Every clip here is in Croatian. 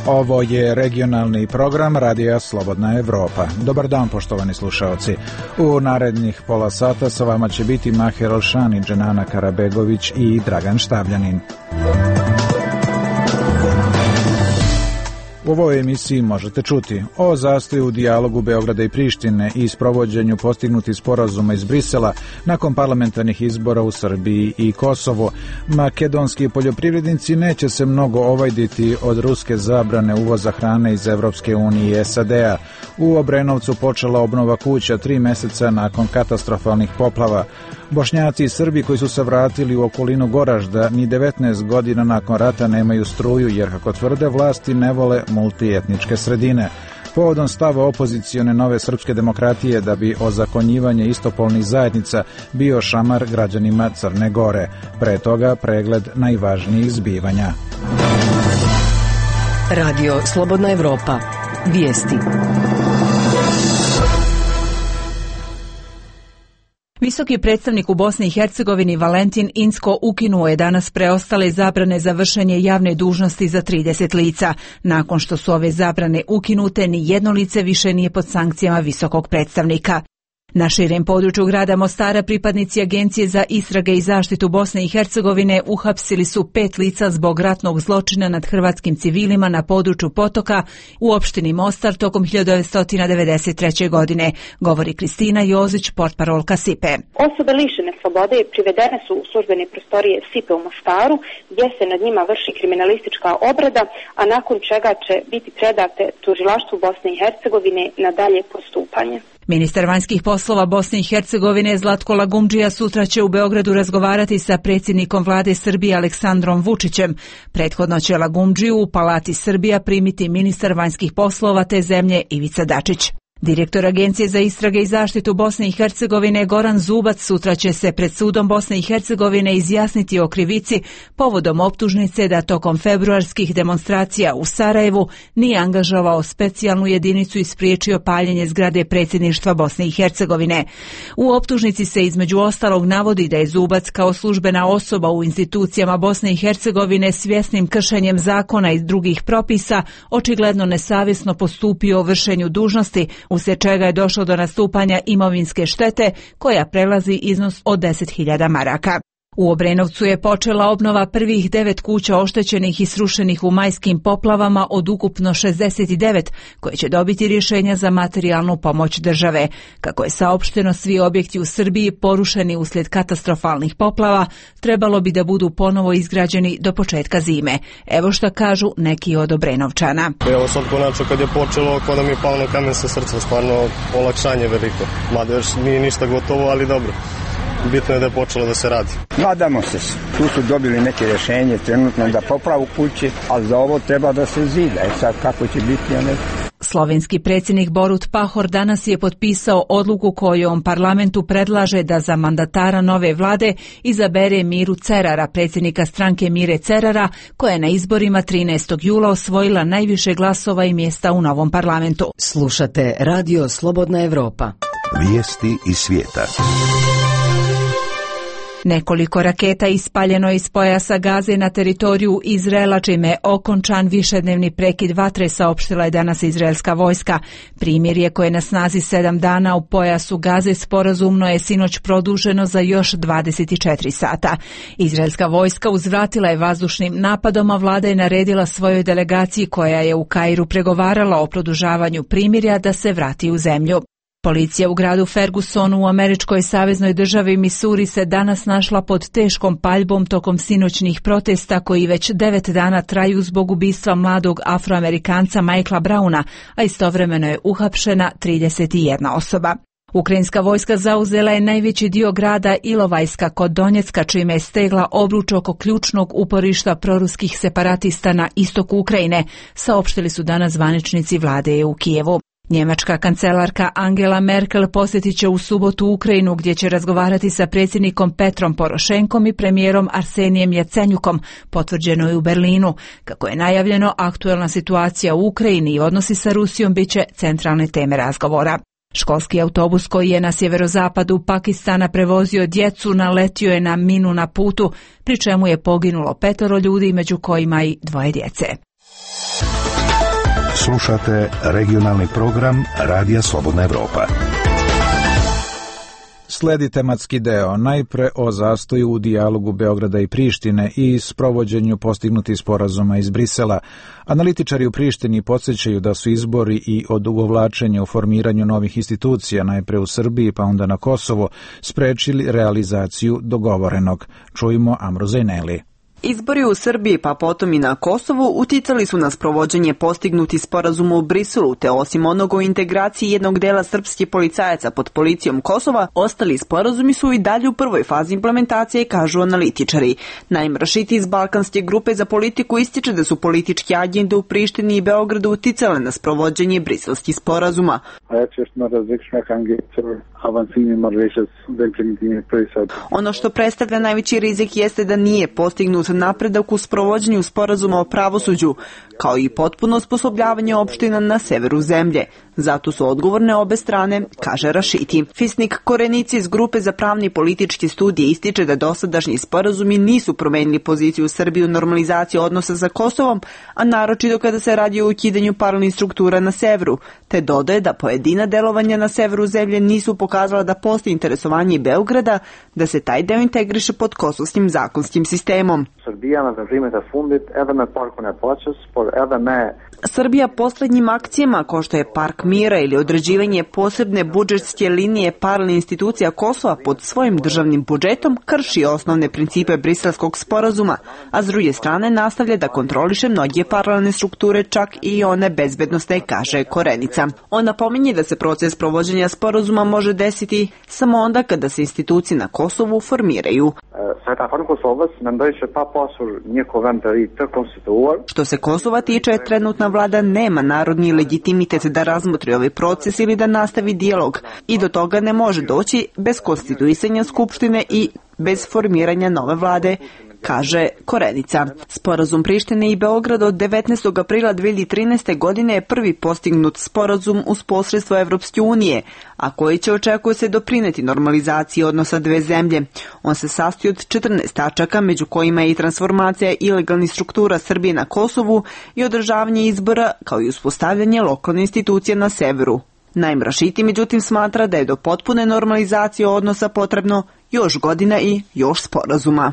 Ovo je regionalni program Radija Slobodna Evropa. Dobar dan, poštovani slušaoci. U narednih pola sata sa vama će biti Maher Olšani, Dženana Karabegović i Dragan Štabljanin. U ovoj emisiji možete čuti o zastoju u dijalogu Beograda i Prištine i sprovođenju postignutih sporazuma iz Brisela nakon parlamentarnih izbora u Srbiji i Kosovu. Makedonski poljoprivrednici neće se mnogo ovajditi od ruske zabrane uvoza hrane iz Evropske unije i SAD-a. U Obrenovcu počela obnova kuća 3 meseca nakon katastrofalnih poplava. Bošnjaci i Srbi koji su se vratili u okolinu Goražda ni 19 godina nakon rata nemaju struju jer, kako tvrde vlasti, ne vole multietničke sredine. Povodom stava opozicione Nove srpske demokratije da bi ozakonjivanje istopolnih zajednica bio šamar građanima Crne Gore. Pre toga pregled najvažnijih zbivanja. Radio Slobodna Evropa. Vijesti. Visoki predstavnik u Bosni i Hercegovini Valentin Incko ukinuo je danas preostale zabrane za vršenje javne dužnosti za 30 lica. Nakon što su ove zabrane ukinute, ni jedno lice više nije pod sankcijama visokog predstavnika. Na širem području grada Mostara pripadnici Agencije za istrage i zaštitu Bosne i Hercegovine uhapsili su 5 lica zbog ratnog zločina nad hrvatskim civilima na području Potoka u opštini Mostar tokom 1993. godine, govori Kristina Jozić, portparolka SIPE. Osobe lišene slobode privedene su u službene prostorije SIPE u Mostaru, gdje se nad njima vrši kriminalistička obrada, a nakon čega će biti predate tužilaštvu Bosne i Hercegovine na dalje postupanje. Ministar vanjskih poslova Bosne i Hercegovine Zlatko Lagumdžija sutra će u Beogradu razgovarati sa predsjednikom vlade Srbije Aleksandrom Vučićem. Prethodno će Lagumdžiju u Palati Srbija primiti ministar vanjskih poslova te zemlje Ivica Dačić. Direktor Agencije za istrage i zaštitu Bosne i Hercegovine Goran Zubac sutra će se pred sudom Bosne i Hercegovine izjasniti o krivici povodom optužnice da tokom februarskih demonstracija u Sarajevu nije angažovao specijalnu jedinicu i spriječio paljenje zgrade predsjedništva Bosne i Hercegovine. U optužnici se između ostalog navodi da je Zubac kao službena osoba u institucijama Bosne i Hercegovine svjesnim kršenjem zakona i drugih propisa očigledno nesavjesno postupio u vršenju dužnosti, uslijed čega je došlo do nastupanja imovinske štete koja prelazi iznos od 10.000 maraka. U Obrenovcu je počela obnova prvih 9 kuća oštećenih i srušenih u majskim poplavama od ukupno 69, koje će dobiti rješenja za materijalnu pomoć države. Kako je saopšteno, svi objekti u Srbiji porušeni uslijed katastrofalnih poplava trebalo bi da budu ponovo izgrađeni do početka zime. Evo šta kažu neki od Obrenovčana. Evo sad konačno kad je počelo, kao da mi je palo na kamen sa srca, stvarno olakšanje veliko. Mada još nije ništa gotovo, ali dobro. Bitno je da je počelo da se radi. Nadamo se, tu su dobili neke rješenje trenutno da popravu kuće, ali za ovo treba da se zida. Sad kako će biti, ja ne. Slovenski predsjednik Borut Pahor danas je potpisao odluku kojom parlamentu predlaže da za mandatara nove vlade izabere Miru Cerara, predsjednika stranke Mire Cerara, koja je na izborima 13. jula osvojila najviše glasova i mjesta u novom parlamentu. Slušate Radio Slobodna Evropa. Vijesti iz svijeta. Nekoliko raketa ispaljeno iz pojasa Gaze na teritoriju Izraela, čime je okončan višednevni prekid vatre, saopštila je danas izraelska vojska. Primirje koje je na snazi 7 dana u pojasu Gaze sporazumno je sinoć produženo za još 24 sata. Izraelska vojska uzvratila je vazdušnim napadom, a vlada je naredila svojoj delegaciji koja je u Kairu pregovarala o produžavanju primirja da se vrati u zemlju. Policija u gradu Fergusonu u američkoj saveznoj državi Missouri se danas našla pod teškom paljbom tokom sinoćnih protesta koji već 9 dana traju zbog ubistva mladog Afroamerikanca Michaela Browna, a istovremeno je uhapšena 31 osoba. Ukrajinska vojska zauzela je najveći dio grada Ilovajska kod Donjecka, čime je stegla obruč oko ključnog uporišta proruskih separatista na istoku Ukrajine, saopštili su danas zvaničnici vlade u Kijevu. Njemačka kancelarka Angela Merkel posjetit će u subotu Ukrajinu, gdje će razgovarati sa predsjednikom Petrom Porošenkom i premijerom Arsenijem Jacenjukom, potvrđeno je u Berlinu. Kako je najavljeno, aktuelna situacija u Ukrajini i odnosi sa Rusijom bit će centralne teme razgovora. Školski autobus koji je na sjeverozapadu Pakistana prevozio djecu naletio je na minu na putu, pri čemu je poginulo 5 ljudi, među kojima i 2 djece. Slušate regionalni program Radija Slobodna Evropa. Sledi tematski deo, najpre o zastoju u dijalogu Beograda i Prištine i sprovođenju postignutih sporazuma iz Brisela. Analitičari u Prištini podsjećaju da su izbori i odugovlačenje u formiranju novih institucija, najpre u Srbiji pa onda na Kosovo, sprečili realizaciju dogovorenog. Čujmo Amru Zejneli. Izbori u Srbiji pa potom i na Kosovu uticali su na sprovođenje postignuti sporazuma u Briselu, te osim onog o integraciji jednog dela srpskih policajaca pod policijom Kosova, ostali sporazumi su i dalje u prvoj fazi implementacije, kažu analitičari. Naim Rašiti iz Balkanske grupe za politiku ističe da su političke agende u Prištini i Beogradu uticale na sprovođenje briselskih sporazuma. Ono što predstavlja najveći rizik jeste da nije postignut napredak u sprovođenju sporazuma o pravosuđu, kao i potpuno osposobljavanje opština na severu zemlje. Zato su odgovorne obe strane, kaže Rašiti. Fisnik Korenici iz grupe za pravne i političke studije ističe da dosadašnji sporazumi nisu promenili poziciju Srbije u normalizaciji odnosa sa Kosovom, a naročito kada se radi o ukidanju paralelnih struktura na severu, te dodaje da pojedina delovanja na severu zemlje nisu pokazala da postoji interesovanje Beograda da se taj deo integriše pod kosovskim zakonskim sistemom. Srbija poslednjim akcijama, kao što je Park mira ili određivanje posebne budžetske linije paralelnih institucija Kosova pod svojim državnim budžetom, krši osnovne principe briselskog sporazuma, a s druge strane nastavlja da kontroliše mnoge paralelne strukture, čak i one bezbednosne, kaže Korenica. On napominje da se proces provođenja sporazuma može desiti samo onda kada se institucije na Kosovu formiraju. Što se Kosova tiče, trenutna vlada nema narodni legitimitet da razmotri ovaj proces ili da nastavi dijalog i do toga ne može doći bez konstituisanja skupštine i bez formiranja nove vlade, kaže Korenica. Sporazum Prištine i Beograda od 19. aprila 2013. godine je prvi postignut sporazum uz posredstvo Evropske unije, a koji će, očekuje se, doprineti normalizaciji odnosa dve zemlje. On se sastoji od 14 tačaka, među kojima je i transformacija ilegalnih struktura Srbije na Kosovu i održavanje izbora, kao i uspostavljanje lokalne institucije na severu. Naim Rašiti, međutim, smatra da je do potpune normalizacije odnosa potrebno još godina i još sporazuma.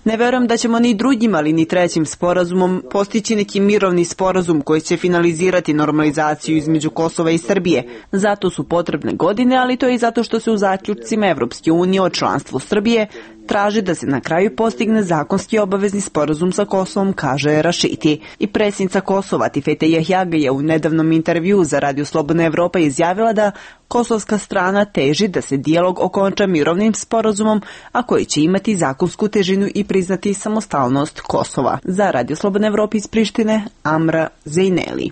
Ne verujem da ćemo ni drugim, ali ni trećim sporazumom postići neki mirovni sporazum koji će finalizirati normalizaciju između Kosova i Srbije. Zato su potrebne godine, ali to je i zato što se u zaključcima Evropske unije o članstvu Srbije traži da se na kraju postigne zakonski obavezni sporazum sa Kosovom, kaže Rašiti. I predsjednica Kosova Tifete Jahjaga je u nedavnom intervjuu za Radio Slobodna Evropa izjavila da kosovska strana teži da se dijalog okonča mirovnim sporazumom, a koji će imati zakonsku težinu i priznati samostalnost Kosova. Za Radio Slobodna Evropa iz Prištine, Amra Zejneli.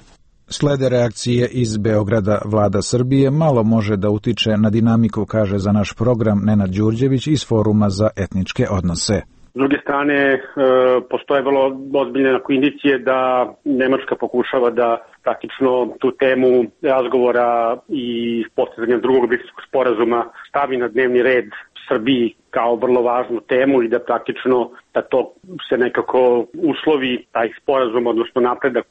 Slede reakcije iz Beograda. Vlada Srbije malo može da utiče na dinamiku, kaže za naš program Nenad Đurđević iz Foruma za etničke odnose. S druge strane, postoje vrlo ozbiljne indicije da Nemačka pokušava da praktično tu temu razgovora i postizanja drugog briselskog sporazuma stavi na dnevni red Srbiji kao vrlo važnu temu i da praktično da to se nekako uslovi taj sporazum, odnosno napredak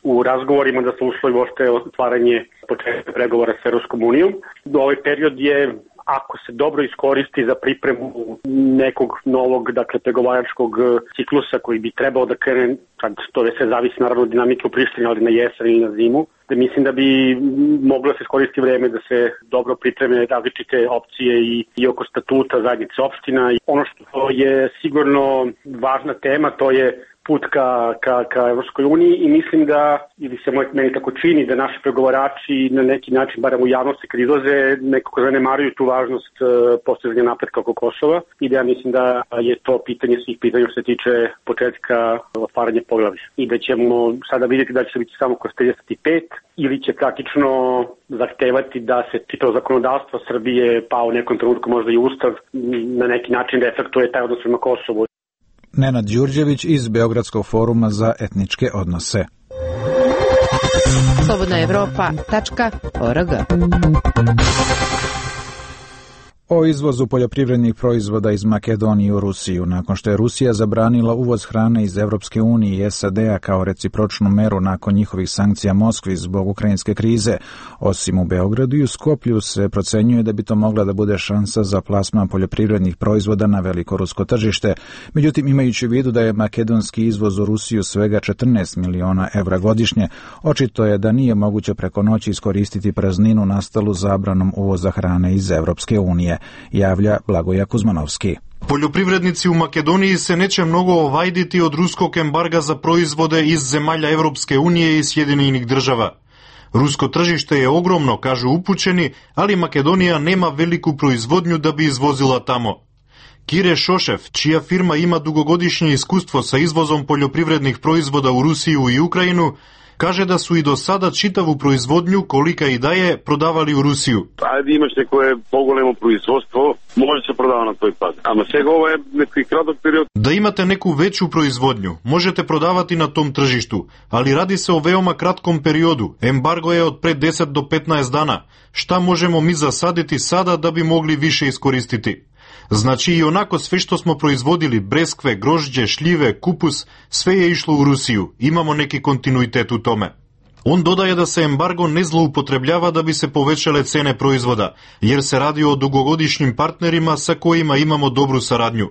u razgovorima, da se uslovi uopšte otvaranje početka pregovora s Evropskom unijom. Ovaj period je, ako se dobro iskoristi za pripremu nekog novog, pregovaračkog ciklusa koji bi trebao da krene, sad to sve zavisi naravno od dinamike u Prištini, ali na jesen ili na zimu, da mislim da bi moglo se iskoristiti vreme da se dobro pripreme različite opcije i oko statuta zajednice opština. Ono što je sigurno važna tema, to je put ka Evropskoj uniji i mislim da, ili se meni tako čini, da naši pregovarači na neki način, barem u javnosti kad izlaze, nekako zanemaruju tu važnost postizanja napretka oko Kosova i da ja mislim da je to pitanje svih pitanja što se tiče početka otvaranja poglavlja. I da ćemo sada vidjeti da će se biti samo kroz 35 ili će praktično zahtevati da se čitavo zakonodavstvo Srbije, pa u nekom trenutku možda i Ustav, na neki način reflektuje taj odnos prema Kosovu. Nenad Đurđević iz Beogradskog foruma za etničke odnose. slobodnaevropa.org. O izvozu poljoprivrednih proizvoda iz Makedonije u Rusiju, nakon što je Rusija zabranila uvoz hrane iz Evropske unije i SAD-a kao recipročnu meru nakon njihovih sankcija Moskvi zbog ukrajinske krize. Osim u Beogradu i u Skoplju se procenjuje da bi to mogla da bude šansa za plasman poljoprivrednih proizvoda na veliko rusko tržište. Međutim, imajući u vidu da je makedonski izvoz u Rusiju svega 14 miliona evra godišnje, očito je da nije moguće preko noći iskoristiti prazninu nastalu zabranom uvoza hrane iz Evropske unije, javlja Blagoja Kuzmanovski. Poljoprivrednici u Makedoniji se neće mnogo ovajditi od ruskog embarga za proizvode iz zemalja Evropske unije i Sjedinjenih država. Rusko tržište je ogromno, kažu upućeni, ali Makedonija nema veliku proizvodnju da bi izvozila tamo. Kire Šošev, čija firma ima dugogodišnje iskustvo sa izvozom poljoprivrednih proizvoda u Rusiju i Ukrajinu, kaže da su i do sada čitavu proizvodnju, kolika i da je, prodavali u Rusiju. Ajde imaš nekoje pogolemo proizvodstvo, može se prodava na toj pad. Ama сега ovo je neki kratak period. Da imate neku veću proizvodnju, možete prodavati na tom tržištu, ali radi se o veoma kratkom periodu. Embargo je od pre 10 do 15 dana. Šta možemo mi zasaditi sada da bi mogli više iskoristiti? Znači i onako sve što smo proizvodili, breskve, grožđe, šljive, kupus, sve je išlo u Rusiju. Imamo neki kontinuitet u tome. On dodaje da se embargo ne zloupotrebljava da bi se povećale cene proizvoda, jer se radi o dugogodišnjim partnerima sa kojima imamo dobru saradnju.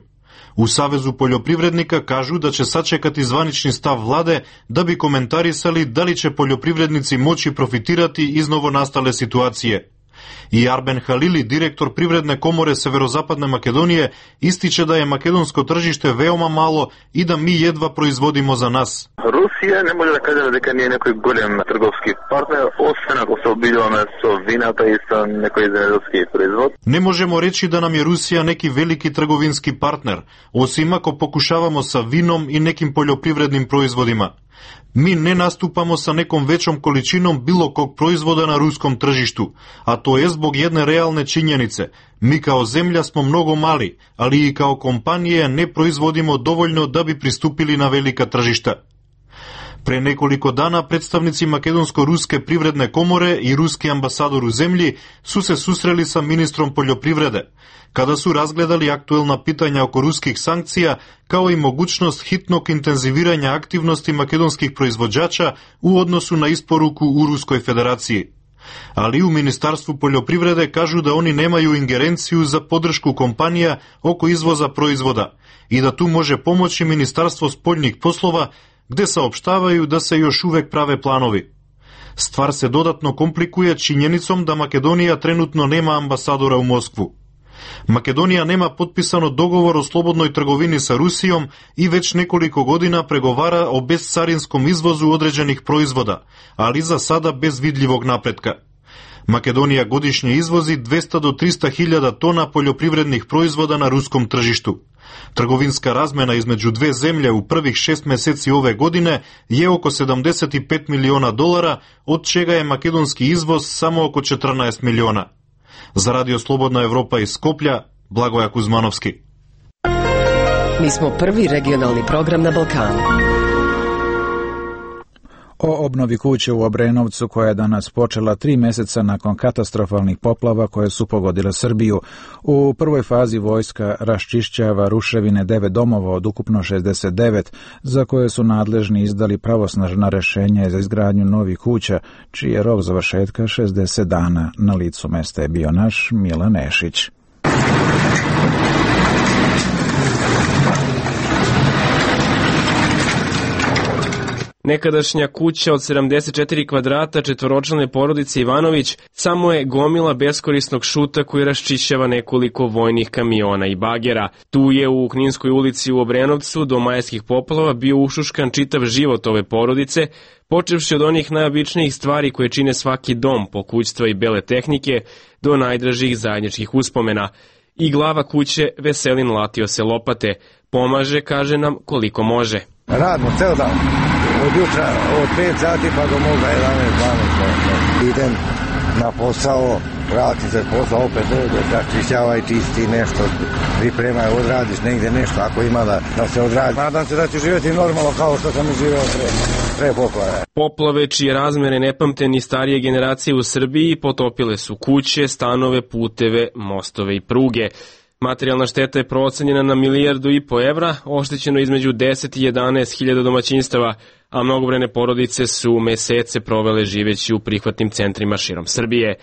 U Savezu poljoprivrednika kažu da će sačekati zvanični stav vlade da bi komentarisali da li će poljoprivrednici moći profitirati iz novonastale situacije. I Arben Halili, direktor Privredne komore Severozapadne Makedonije, ističe da je makedonsko tržište veoma malo i da mi jedva proizvodimo za nas. Rusija ne može da kaže дека nije nekoj golem trgovski partner, osim ako se obiljavаме со вината и со некој земјоделски производ. Ne možemo reći da nam je Rusija neki veliki trgovinski partner, osim ako pokušavamo sa vinom i nekim poljoprivrednim proizvodima. Mi ne nastupamo sa nekom većom količinom bilo kog proizvoda na ruskom tržištu, a to je zbog jedne realne činjenice. Mi kao zemlja smo mnogo mali, ali i kao kompanije ne proizvodimo dovoljno da bi pristupili na velika tržišta. Pre nekoliko dana predstavnici Makedonsko-ruske privredne komore i ruski ambasador u zemlji su se susreli sa ministrom poljoprivrede, kada su razgledali aktuelna pitanja oko ruskih sankcija, kao i mogućnost hitnog intenziviranja aktivnosti makedonskih proizvođača u odnosu na isporuku u Ruskoj federaciji. Ali u Ministarstvu poljoprivrede kažu da oni nemaju ingerenciju za podršku kompanija oko izvoza proizvoda i da tu može pomoći Ministarstvo spoljnih poslova, gde saopštavaju da se još uvek prave planovi. Stvar se dodatno komplikuje činjenicom da Makedonija trenutno nema ambasadora u Moskvu. Makedonija nema potpisano dogovor o slobodnoj trgovini sa Rusijom i već nekoliko godina pregovara o bezcarinskom izvozu određenih proizvoda, ali za sada bez vidljivog napretka. Makedonija godišnje izvozi 200 do 300 hiljada tona poljoprivrednih proizvoda na ruskom tržištu. Trgovinska razmena između dve zemlje u prvih 6 meseci ove godine je oko $75 miliona, od čega je makedonski izvoz samo oko 14 miliona. Za Radio Slobodna Evropa iz Skoplja, Blagoja Kuzmanovski. Mi smo prvi regionalni program na Balkanu. O obnovi kuće u Obrenovcu koja je danas počela 3 meseca nakon katastrofalnih poplava koje su pogodile Srbiju. U prvoj fazi vojska raščišćava ruševine 9 domova od ukupno 69, za koje su nadležni izdali pravosnažna rešenja za izgradnju novih kuća, čiji je rok završetka 60 dana. Na licu mesta je bio naš Milan Nešić. Nekadašnja kuća od 74 kvadrata četvoročlane porodice Ivanović samo je gomila beskorisnog šuta koji raščišćava nekoliko vojnih kamiona i bagera. Tu je u Kninskoj ulici u Obrenovcu do majskih poplava bio ušuškan čitav život ove porodice, počevši od onih najobičnijih stvari koje čine svaki dom, pokućstva i bele tehnike, do najdražih zajedničkih uspomena. I glava kuće Veselin latio se lopate, pomaže, kaže nam, koliko može. Radimo ceo dan. Od jutra, od 5 sati pa do moga 11, 12, idem na posao, vrati se posao, opet dođe, raščišćavaj, čisti nešto, pripremaj, odradiš negdje nešto, ako ima da se odradi. Nadam se da ću živjeti normalno kao što sam živio pre poplave. Poplave čije razmere ne pamte ni starije generacije u Srbiji potopile su kuće, stanove, puteve, mostove i pruge. Materijalna šteta je procenjena na 1,5 milijardu evra, oštećeno između 10 i 11 hiljada domaćinstava, a mnogobrojne porodice su mesece provele živeći u prihvatnim centrima širom Srbije.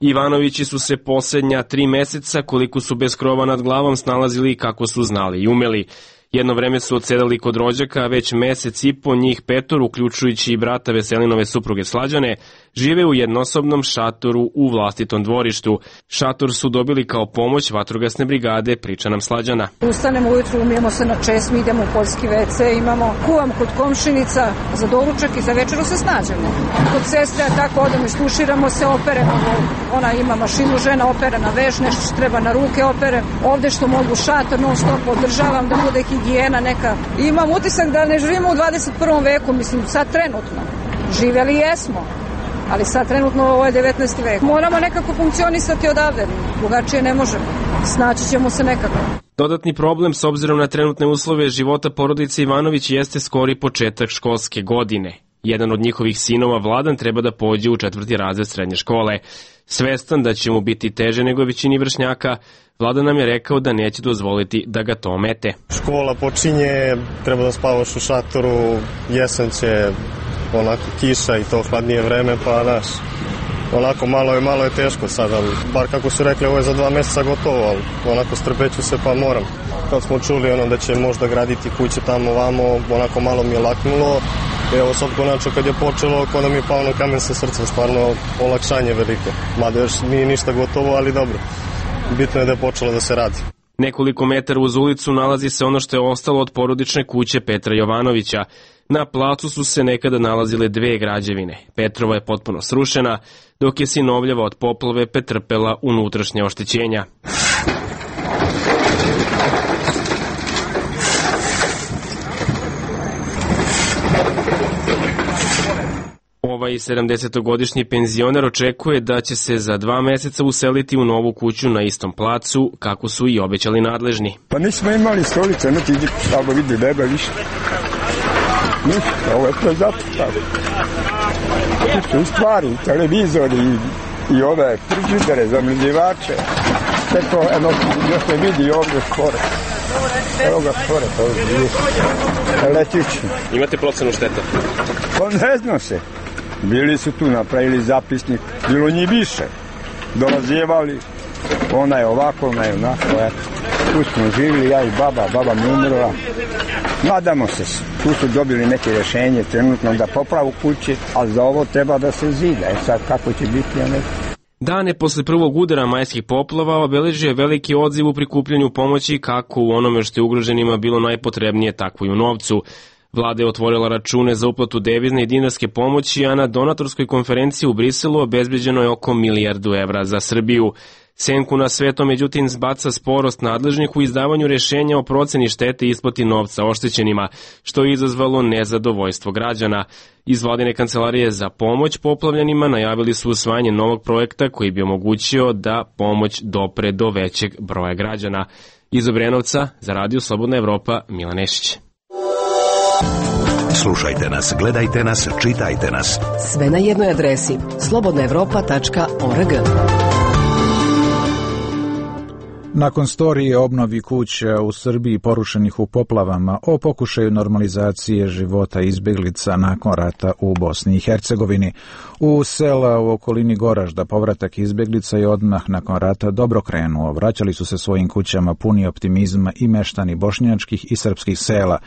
Ivanovići su se posljednja 3 meseca, koliko su bez krova nad glavom, snalazili kako su znali i umeli. Jedno vreme su odsedali kod rođaka, već mesec i po njih 5, uključujući i brata Veselinove supruge Slađane, žive u jednosobnom šatoru u vlastitom dvorištu. Šator su dobili kao pomoć vatrogasne brigade, priča nam Slađana. Ustanemo ujutru, umijemo se na česmi, idemo u poljski WC, imamo, kuvam kod komšinica, za doručak i za večeru se snađemo. Kod sestre, tako odemo i stuširamo se, operemo, ona ima mašinu, žena opere na veš, nešto što treba na ruke opere. Ovde što mogu šator, non stop održavam, da bude higijena neka. Imam utisak da ne živimo u 21. veku, mislim, sad trenutno. Živjeli jesmo, ali sad trenutno ovo je 19. vek. Moramo nekako funkcionisati odavde, drugačije ne možemo. Snaći ćemo se nekako. Dodatni problem s obzirom na trenutne uslove života porodice Ivanović jeste skori početak školske godine. Jedan od njihovih sinova, Vladan, treba da pođe u 4. razred srednje škole. Svestan da će mu biti teže nego većini vršnjaka, Vladan nam je rekao da neće dozvoliti da ga to omete. Škola počinje, treba da spavaš u šatoru, jesen će, onako kiša i to hladnije vreme, pa daš, onako malo je teško sad, ali bar kako su rekli, ovo je za 2 meseca gotovo, ali onako strpeću se pa moram. Kad smo čuli da će možda graditi kuće tamo vamo, onako malo mi je laknulo. Evo sad konačno kad je počelo, kao da mi je pao na kamen sa srca, stvarno olakšanje veliko. Mada još nije ništa gotovo, ali dobro. Bitno je da je počelo da se radi. Nekoliko metara uz ulicu nalazi se ono što je ostalo od porodične kuće Petra Jovanovića. Na placu su se nekada nalazile 2 građevine. Petrova je potpuno srušena, dok je sinovljava od poplave pretrpela unutrašnje oštećenja. Ovaj 70-godišnji penzioner očekuje da će se za 2 meseca useliti u novu kuću na istom placu, kako su i obećali nadležni. Pa nismo imali stolice, niti samo vidi neba više. Ništa, ovo je to zato tako. Ništa, u stvari, televizori i ove frižidere, zamrzivače, sve to još se vidi ovdje skoro. Evo ga skoro, to je letično. Imate procenu šteta? Pa ne zna se. Bili su tu, napravili zapisnik, bilo njih više. Dolazjevali, ona je ovako, ona je onako, tu smo živjeli, ja i baba mi umrla. Nadamo se, tu su dobili neke rješenje trenutno da popravu kući, ali za ovo treba da se zida, sad kako će biti, ja ne znam. Dane posle prvog udara majskih poplava obeležio je veliki odziv u prikupljanju pomoći kako u onome što je ugroženima bilo najpotrebnije, tako i u novcu. Vlada je otvorila račune za uplatu devizne i dinarske pomoći, a na donatorskoj konferenciji u Briselu obezbeđeno je oko 1 milijardu evra za Srbiju. Senku na sve to, međutim, zbaca sporost nadležnih u izdavanju rješenja o proceni štete i isplati novca oštećenima, što je izazvalo nezadovoljstvo građana. Iz vladine kancelarije za pomoć poplavljenima najavili su usvajanje novog projekta koji bi omogućio da pomoć dopre do većeg broja građana. Iz Obrenovca, za Radio Slobodna Evropa, Milan Nešić. Slušajte nas, gledajte nas, čitajte nas. Sve na jednoj adresi slobodnaevropa.org. Nakon storije o obnovi kuća u Srbiji porušenih u poplavama, o pokušaju normalizacije života izbjeglica nakon rata u Bosni i Hercegovini, u sela u okolini Goražda povratak izbjeglica je odmah nakon rata dobro krenuo. Vraćali su se svojim kućama puni optimizma i meštani bošnjačkih i srpskih sela.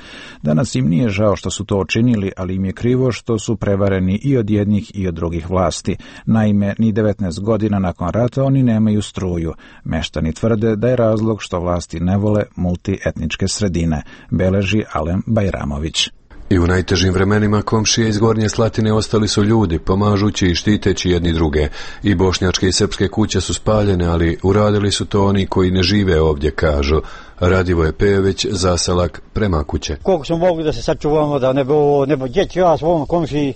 Danas im nije žao što su to učinili, ali im je krivo što su prevareni i od jednih i od drugih vlasti. Naime, ni 19 godina nakon rata oni nemaju struju. Meštani tvrde da je razlog što vlasti ne vole multietničke sredine, beleži Alen Bajramović. I u najtežim vremenima komšije iz Gornje Slatine ostali su ljudi, pomažući i štiteći jedni druge. I bošnjačke i srpske kuće su spaljene, ali uradili su to oni koji ne žive ovdje, kažu. Radivoje Pejević, zaselak Prema kuće. Koliko smo mogli da se sačuvamo, da ne bo djeći ja svom komšiji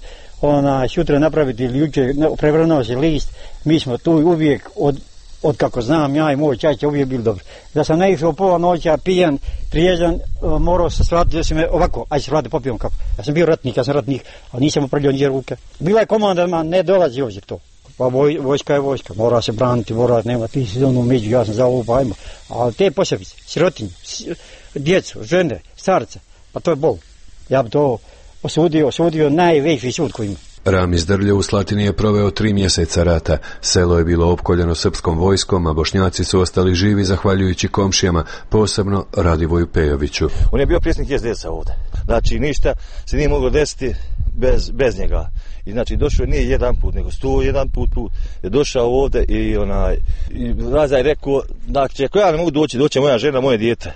sutra napraviti ili jučer prevrnuo se list, mi smo tu uvijek od kako znam ja i moj čača uvijek bili dobri. Da sam naišao pola noća, pijan, trijezan, morao se shvatiti da se me ovako, ajde se vrati popijom kako. Ja sam bio ratnik, ali nisam upravljao niđe ruke. Bila je komanda, ne dolazi ovdje to. Pa vojska je vojska, mora se braniti, nema ti si ono među, ja sam za ovo pa ajmo. Ali te posebice, sirotinje, djecu, žene, starce, pa to je bol. Ja bi to osudio najveći sud koji ima. Ramiz Drljo u Slatini je proveo 3 mjeseca rata. Selo je bilo opkoljeno srpskom vojskom, a Bošnjaci su ostali živi zahvaljujući komšijama, posebno Radivoju Pejoviću. On je bio predsjednik SDS-a ovdje. Znači ništa se nije moglo desiti bez njega. I znači došao nije jedan put, nego 101 put je došao ovdje i Raza je rekao, znači ako ja ne mogu doći moja žena, moje dijete.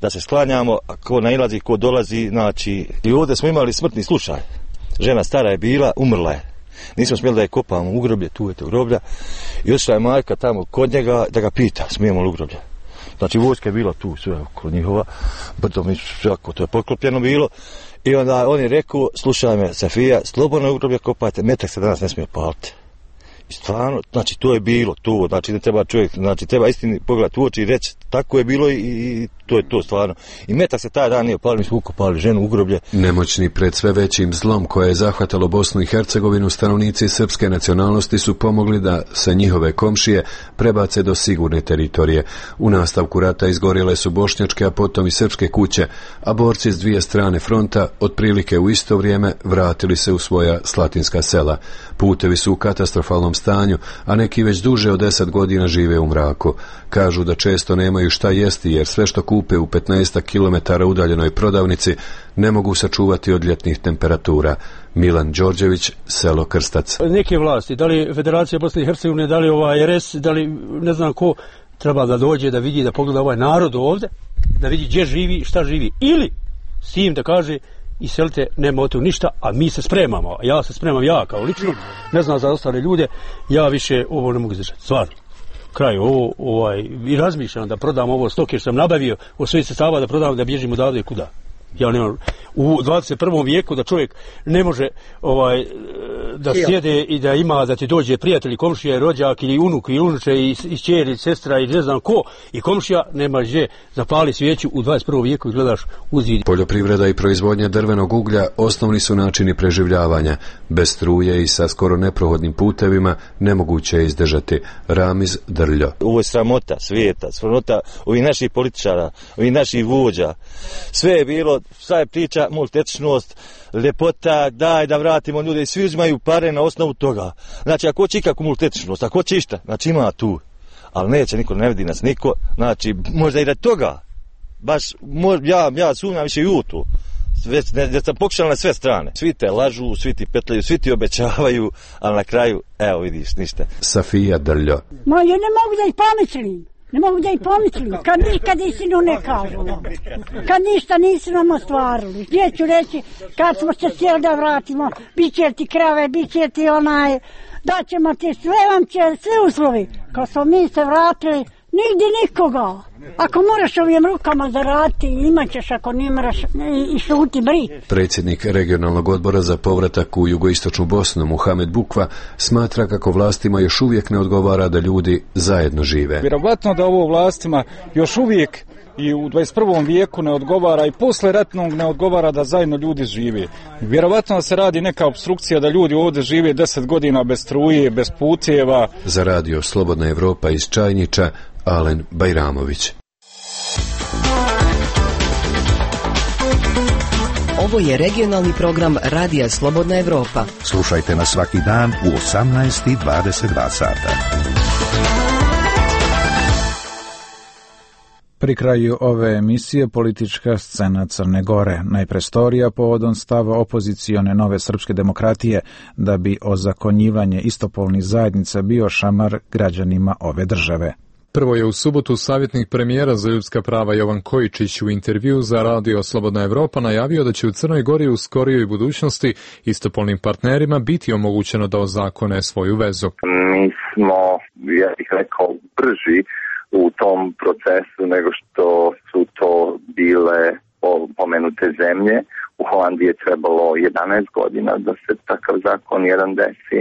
Da se sklanjamo, ko nailazi, ko dolazi, znači i ovdje smo imali smrtni slučaj. Žena stara je bila, umrla je. Nismo smjeli da je kopamo u groblje, tu je to groblja. I otišla je majka tamo kod njega da ga pita, smijemo li u groblje. Znači vojska je bila tu, sve oko njihova, brdo mi svako, to je poklopljeno bilo. I onda on je rekao, slušaj me, Safija, slobodno u groblje kopajte, metak se danas ne smije paliti. I stvarno, znači to je bilo to, znači ne treba čovjek, znači treba istini pogledati u oči i reći tako je bilo i to je to stvarno. I metak se taj dan nije palio, mi smo ukopali ženu u groblje. Nemoćni pred sve većim zlom koje je zahvatalo Bosnu i Hercegovinu, stanovnici srpske nacionalnosti su pomogli da se njihove komšije prebace do sigurne teritorije. U nastavku rata izgorjele su bošnjačke, a potom i srpske kuće, a borci s dvije strane fronta otprilike u isto vrijeme vratili se u svoja slatinska sela. Putevi su u katastrofalnom stanju, a neki već duže od 10 godina žive u mraku. Kažu da često nemaju šta jesti jer sve što kupe u 15 km udaljenoj prodavnici ne mogu sačuvati od ljetnih temperatura. Milan Đorđević, selo Krstac. Neke vlasti, da li Federacija Bosne i Hercegovine, da li RS, da li ne znam ko, treba da dođe da vidi, da pogleda ovaj narod ovdje, da vidi gdje živi, šta živi. Ili s tim da kaže iselite, nema od toga ništa, a mi se spremamo. Ja se spremam, ja kao lično, ne znam za ostale ljude, ja više ovo ne mogu izdržati, stvarno. Kraj i razmišljam da prodam ovo stoke što sam nabavio od svojih sredstava, da prodam, da bježim odavde kuda. Ja nemam, u 21. vijeku da čovjek ne može da sjede i da ima, da ti dođe prijatelj, komšija, rođak ili unuk i unuče i ćer i sestra i ne znam ko i komšija, nema gdje zapali svijeću u 21. vijeku i gledaš uzvid. Poljoprivreda i proizvodnja drvenog uglja osnovni su načini preživljavanja. Bez struje i sa skoro neprohodnim putevima nemoguće je izdržati. Ramiz Drljo. Ovo je sramota svijeta, sramota ovih naših političara, ovih naših vođa. Sve je bilo, sva je priča, multietničnost, ljepota, daj da vratimo ljude i svi uzimaju pare na osnovu toga. Znači ako će ikakvu multietničnost, ako će išta, znači ima tu, ali neće niko, ne vidi nas niko, znači možda i da toga, baš ja sumnjam više i u tu. Da sam pokušala na sve strane. Svi te lažu, svi ti petljaju, svi ti obećavaju, ali na kraju, evo vidiš, ništa. Safija Drljo. Ma ja ne mogu da ih pomislim. Ne mogu da ih pomislim, kad nikad istinu ne kažu. Kad ništa nisu nam ostvarili. Gdje ću reći, kad smo se htjeli da vratimo, bit će ti krave, bit će ti daćemo ti sve, vam će sve uslovi. Kad smo mi se vratili, nigdje nikoga. Ako moraš ovim rukama zaraditi, imat ćeš, ako ne moraš i šuti bri. Predsjednik regionalnog odbora za povratak u jugoistočnu Bosnu, Muhamed Bukva, smatra kako vlastima još uvijek ne odgovara da ljudi zajedno žive. Vjerovatno da ovo vlastima još uvijek i u 21. vijeku ne odgovara i posle ratnog ne odgovara da zajedno ljudi žive. Vjerovatno da se radi neka opstrukcija da ljudi ovdje žive 10 godina bez struje, bez puteva. Za radio Slobodna Evropa iz Čajniča, Alen Bajramović. Ovo je regionalni program Radija Slobodna Evropa. Slušajte nas svaki dan u 18:22 sata. Pri kraju ove emisije politička scena Crne Gore. Najprestorija povodom stava opozicione Nove srpske demokratije da bi ozakonjivanje istopolnih zajednica bio šamar građanima ove države. Prvo je u subotu savjetnik premijera za ljudska prava Jovan Kojičić u intervju za radio Slobodna Evropa najavio da će u Crnoj Gori u skorijoj budućnosti istopolnim partnerima biti omogućeno da ozakone svoju vezu. Mi smo, ja bih rekao, brži u tom procesu nego što su to bile pomenute zemlje U Holandiji je trebalo 11 godina da se takav zakon jedan desi.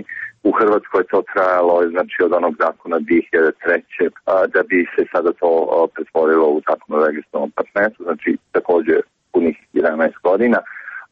U Hrvatskoj je to trajalo, znači od onog zakona 2003. Da bi se sada to pretvorilo u zakon o registrovanom partnerstvu, znači također punih 11 godina,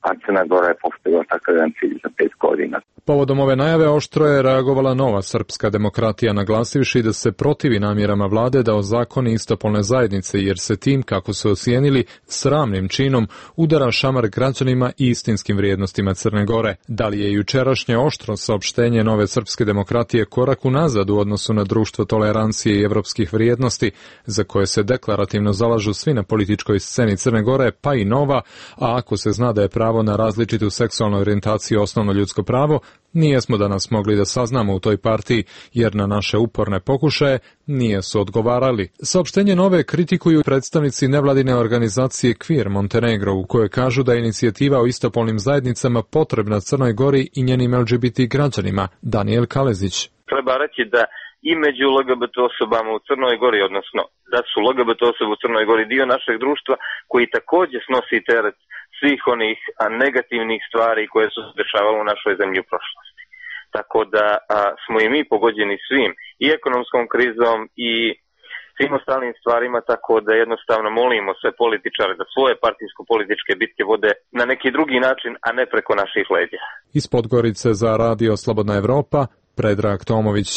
a Crna Gora je postavila takav jedan cilj za 5 godina. Povodom ove najave oštro je reagovala Nova srpska demokratija, naglasivši da se protivi namjerama vlade da ozakoni istopolne zajednice, jer se tim, kako su ocijenili, sramnim činom udara šamar građanima i istinskim vrijednostima Crne Gore. Da li je jučerašnje oštro saopštenje Nove srpske demokratije korak unazad u odnosu na društvo tolerancije i evropskih vrijednosti, za koje se deklarativno zalažu svi na političkoj sceni Crne Gore, pa i Nova, a ako se zna da je pravo na različitu seksualnu orijentaciju osnovno ljudsko pravo, nijesmo danas mogli da saznamo u toj partiji, jer na naše uporne pokušaje nije su odgovarali. Saopštenje Nove kritikuju predstavnici nevladine organizacije Queer Montenegro, u kojoj kažu da je inicijativa o istopolnim zajednicama potrebna Crnoj Gori i njenim LGBT građanima. Daniel Kalezić. Treba reći da i među LGBT osobama u Crnoj Gori, odnosno da su LGBT osobe u Crnoj Gori dio našeg društva koji također snosi teret svih onih negativnih stvari koje su se dešavale u našoj zemlji u prošlosti. Tako da smo i mi pogođeni svim, i ekonomskom krizom i svim ostalim stvarima, tako da jednostavno molimo sve političare da svoje partijsko-političke bitke vode na neki drugi način, a ne preko naših leđa. Iz Podgorice za Radio Slobodna Evropa, Predrag Tomović.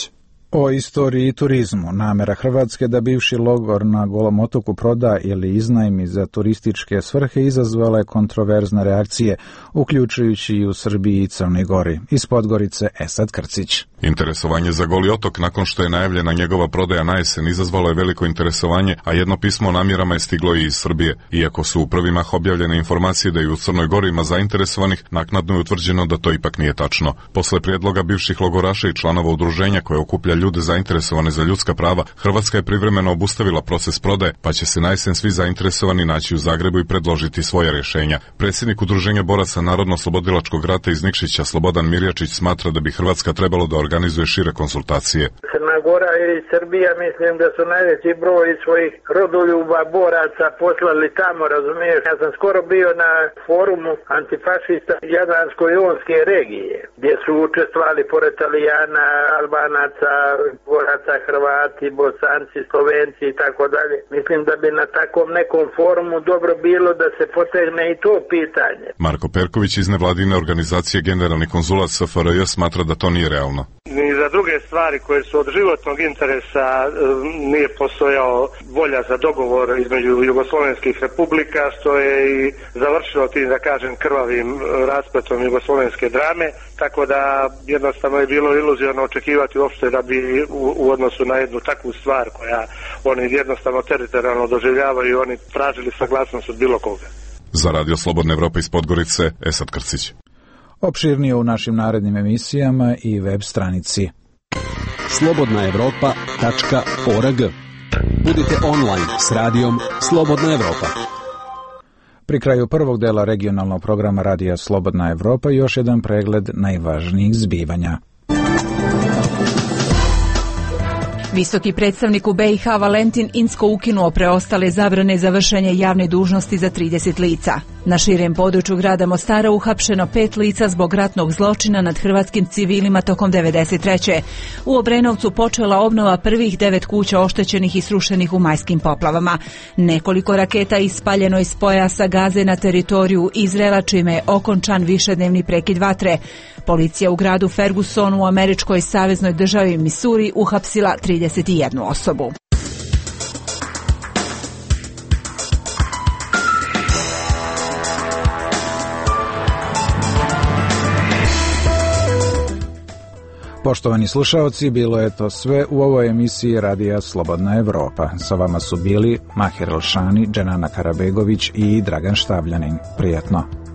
O istoriji i turizmu. Namera Hrvatske da bivši logor na Golom otoku proda ili iznajmi za turističke svrhe izazvala je kontroverzne reakcije, uključujući i u Srbiji i Crnoj Gori. Iz Podgorice Esad Krcić. Interesovanje za Goli otok nakon što je najavljena njegova prodaja na jesen izazvalo je veliko interesovanje, a jedno pismo o namjerama je stiglo i iz Srbije. Iako su u prvi mah objavljene informacije da i u Crnoj Gori ima zainteresovanih, naknadno je utvrđeno da to ipak nije tačno. Posle prijedloga bivših logoraša i članova udruženja koje okuplja ljude zainteresovane za ljudska prava, Hrvatska je privremeno obustavila proces prodaje, pa će se na jesen svi zainteresovani naći u Zagrebu i predložiti svoja rješenja. Predsjednik udruženja boraca Narodno-slobodilačkog rata iz Nikšića, Slobodan Mirjačić, smatra da bi Hrvatska trebalo da organizuje šire konsultacije. Crna Gora i Srbija, mislim da su najveći broj svojih rodoljuba boraca poslali tamo, razumiješ? Ja sam skoro bio na forumu antifašista Jadransko-jonske regije, gdje su učestvovali pored Italijana, Albanaca, boraca, Hrvati, Bosanci, Slovenci i tako dalje. Mislim da bi na takvom nekom forumu dobro bilo da se potegne i to pitanje. Marko Perković iz nevladine organizacije Generalni konzulat SFRJ smatra da to nije realno. Ni za druge stvari koje su od životnog interesa nije postojao volja za dogovor između jugoslovenskih republika, što je i završilo tim, da kažem, krvavim raspletom jugoslovenske drame, tako da jednostavno je bilo iluzorno očekivati uopšte da bi u odnosu na jednu takvu stvar koja oni jednostavno teritorijalno doživljavaju, oni tražili saglasnost od bilo koga. Za Radio Slobodna Evropa iz Podgorice, Esad Krcić. Opširnije u našim narednim emisijama i web stranici slobodnaevropa.org. Budite online s radijom Slobodna Evropa. Pri kraju prvog dela regionalnog programa Radija Slobodna Evropa još jedan pregled najvažnijih zbivanja. Visoki predstavnik u BiH Valentin Incko ukinuo preostale zabrane za vršenje javne dužnosti za 30 lica. Na širem području grada Mostara uhapšeno 5 lica zbog ratnog zločina nad hrvatskim civilima tokom 1993. U Obrenovcu počela obnova prvih 9 kuća oštećenih i srušenih u majskim poplavama. Nekoliko raketa ispaljeno iz pojasa Gaze na teritoriju Izraela, čime je okončan višednevni prekid vatre. Policija u gradu Fergusonu u američkoj saveznoj državi Missouri uhapsila 31 osobu. Poštovani slušaoci, bilo je to sve u ovoj emisiji Radija Slobodna Evropa. Sa vama su bili Mahir Elšani, Dženana Karabegović i Dragan Štavljanin. Prijetno.